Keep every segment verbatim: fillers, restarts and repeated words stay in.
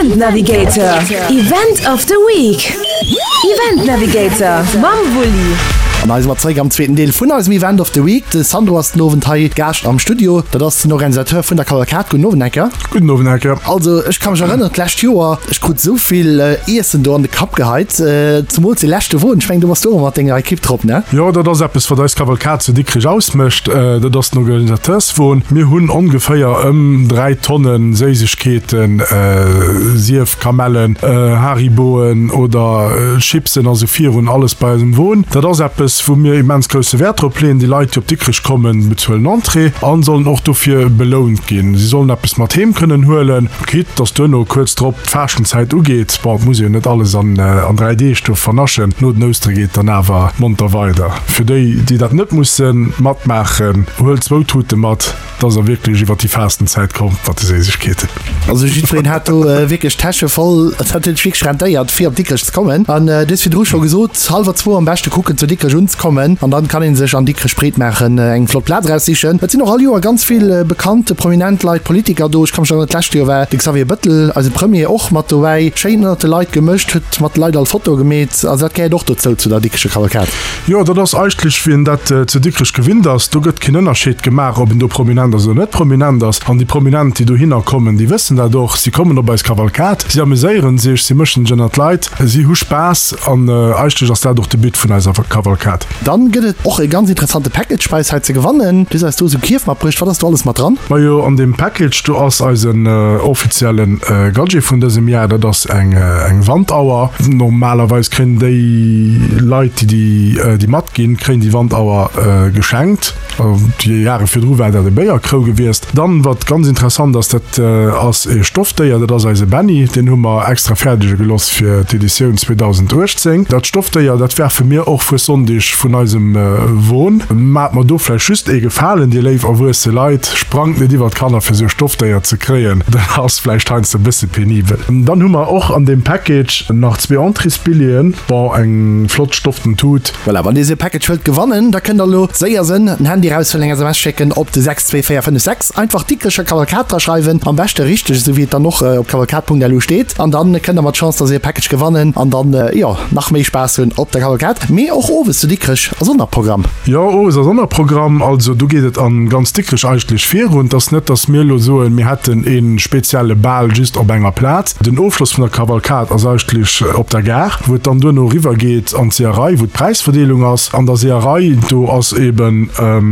Event Navigator, Event of the Week. Event Navigator mam Wulli. An hei si mer zeréck am zweeten Deel vun eisem Event of the Week. De Sandro ass den Owend hei Gaascht am Studio. Dat ass den Organisateur vun der Kavalkad. Gudden Owend, Enker. Gudden Owend, Enker. Also ech ka mech erënneren, d'lescht Joer, ech krut esou vill Iessen do an de Kapp geheit, zemools dee leschte Won. Ech mengen, du bass do och mat denger Ekipp drop, ne? Jo, dat ass eppes, wat eis Kavalkad zu Dikrech ausmécht. Dat ass den Organisateurswon. Mir hunn ongeféier ëm dräi Tonne Séissegkeeten, sief Kamellen, Hariboen oder Chipsen a sou virun, alles bei eisem Won. Dat ass eppes, wou mir immens grousse Wäert drop leeën. Déi Leit, déi op Dikrech kommen, bezuelen Entrée a sollen och dofir belount ginn. Si sollen eppes mat heem kënnen huelen, quitte dass duerno kuerz drop d'Faaschtenzäit ugeet. Bon, et muss ee jo net alles an dräi Deeg do vernaschen. No den Oustere geet dann awer monter weider. Fir déi, déi dat net musse matmaachen, huelt zwou Tute mat, dass der wierklech iwwer déi Faastenzäit kommt mat de Séissegkeeten. Also jiddwereen hat do wierklech d'Täsche voll. Et huet sech wierklech rentéiert, fir op Dikrech ze kommen. An du hues virdru scho gesot, hallwer zwou am beschte kucken, zu Dikrech unzekommen. An dann kann ee sech an Dikrech breet maachen, eng flott Plaz eraussichen. Et sinn och all Joer ganz vill bekannte, prominent Leit, Politiker do. Ech ka mech erënneren, d'lescht Joer war de Xavier Bëttel, eise Premier, och mat dobäi. Schéin ënnert de Leit gemëscht, huet mat de Leit all Fotoe gemeet. Also dat gehéiert och dozou, zu der Dikrecher Kavalkad. Jo, dat ass eigentlech, wéi een dat zu Dikrech gewinnt ass. Do gëtt keen Ënnerscheed gemaach, ob een do prominent ass oder net prominent ass. An déi Prominent, déi dohinner kommen, déi wëssen dat och. Si kommen op eis Kavalkad, si ameséiere sech, si mëschen sech ënnert d'Leit, si hu Spaass. An eigentlech ass dat och de But vun eiser Kavalkad. Dann gëtt et och e ganz interessante Package bei eis hei ze gewannen. Du hues eis do esou Kierf matbruecht. Wat ass do alles mat dran? Majo, an deem Package do ass eisen offizielle Gadget vun dësem Jar. Dat ass eng Wandauer. Normalerweis kréien déi Leit, déi déi matginn, kréien déi Wandauer geschenkt. Déi Jahre virdru war dat e Béierkrou gewiescht. Dann, wat ganz interessant ass, dat ass e Stoffdéier, dat ass eise Benny. Deen hu mer extra fäerdege geloss fir d'Editioun zweedausendachtzéng. Dat Stoffdéier, dat werfe mir och Fuessonndeg vun eisem Won. Maacht mer do vläicht just ee Gefalen, dir léif erwuesse Leit, sprangt net iwwer d'Kanner fir esou e Stoffdéier ze kréien, dat ass vläicht heiansdo e bësse penibel. Dann hu mer och an deem Package nach zwee Entréesbilleten, bon, eng flott stofften Tut. Voilà, wann dir esou e Package wëllt gewannen, da kënnt der elo séier sënn, den Handy eraushuelen, eng S M S schécken op de sechs zwee véier fënnef sechs, einfach Dikrecher Kavalkad dra schreiwen, am beschte richteg, esou wéi et dann och op kavalkad Punkt L U steet, an dann kënnt der mat Chance da esou e Package gewannen an dann, jo, nach méi Spaass hunn op der Kavalkad. Mee och owes zu Dikrech ass och nach Programm. Jo, owes ass och nach Programm. Also do geet et a ganz Dikrech eigentlech virun. Et ass net, datt mir elo soen, mir hätten e spezielle Bal just op enger Plaz. Den Ofschloss vun der Kavalkad ass eigentlech op der Gare, wou et dann duerno eriwwer geet an d'Seeërei, wou d'Präisverdeelung ass. An der Seeërei, do ass eben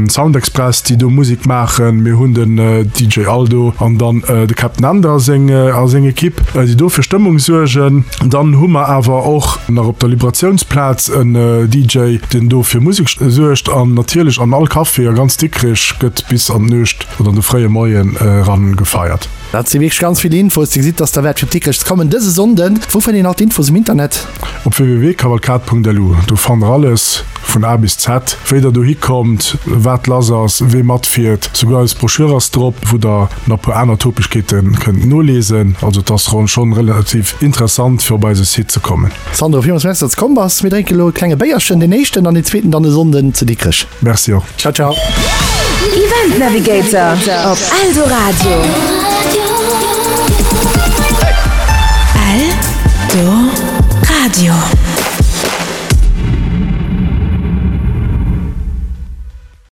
Sound Express, déi do Musek maachen. Mir hunn den D J Aldo an dann de Captain Änder a seng a seng Ekipp, déi do fir Stëmmung suergen. Dann hu mer awer och nach op der Liberatiounsplaz en D J, deen do fir Musek suergt. An natierlech an all Café a ganz Dikrech gëtt bis an d'Nuecht oder an de fréie Moien eran gefeiert. Dat si wierklech ganz vill Infos. Dir gesitt, dass derwäert fir op Dikrech ze kommen dëse Sonnden. Wou fënnt een all d'Infos um Internet? Op w w w punkt kavalkad punkt l u. Do fannt der alles vun A bis Z, wéi der dohi kommt, wat lass ass, wee matfiert. Souguer eis Broschür ass drop, wou der nach e puer aner Topegkeete kënnt nolesen. Also et ass schonn relativ interessant fir op eise Site ze kommen. Sandro, villmools Merci, dass de komm bass. Mir drénke lo e klenge Béierchen, deen éischten an deen zweeten dann e Sonnden zu Dikrech. Merci och. Ciao, ciao. Event Navigator op Eldoradio. Eldoradio.